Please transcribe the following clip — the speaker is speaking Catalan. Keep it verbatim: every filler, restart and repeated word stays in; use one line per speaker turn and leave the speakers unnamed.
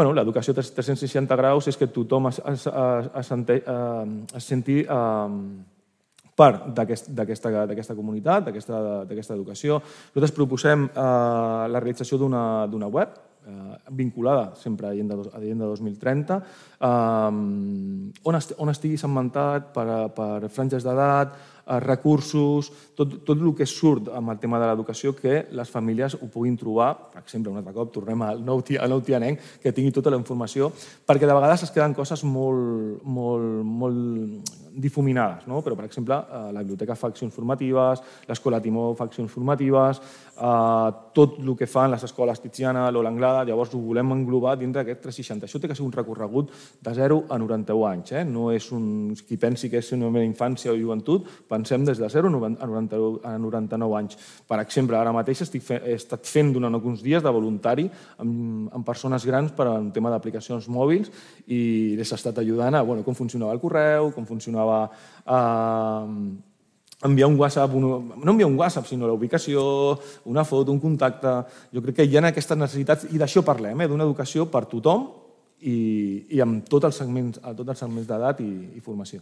l'educació tres-cents seixanta graus és que tothom es senti part d'aquesta comunitat, d'aquesta educació. Nosaltres proposem la realització d'una web vinculada sempre a Agenda dos mil trenta, on estigui segmentat per franges d'edat, recursos, tot el que surt amb el tema de l'educació, que les famílies ho puguin trobar, per exemple, un altre cop, tornem al nou tianenc, que tingui tota la informació, perquè de vegades es queden coses molt difuminades, però, per exemple, la biblioteca fa accions formatives, l'escola Timó fa accions formatives, tot el que fan les escoles Tiziana, l'Ola Anglada, llavors ho volem englobar dintre d'aquest tres seixanta. Això té que ser un recorregut de zero a noranta-u anys, no és qui pensi que és només infància o joventut, pensem des de zero a noranta-nou anys. Per exemple, ara mateix he estat fent durant alguns dies de voluntari amb persones grans per un tema d'aplicacions mòbils i les he estat ajudant a com funcionava el correu, com funcionava enviar un WhatsApp, no enviar un WhatsApp, sinó la ubicació, una foto, un contacte. Jo crec que hi ha aquestes necessitats i d'això parlem, d'una educació per tothom i amb tots els segments d'edat i formació.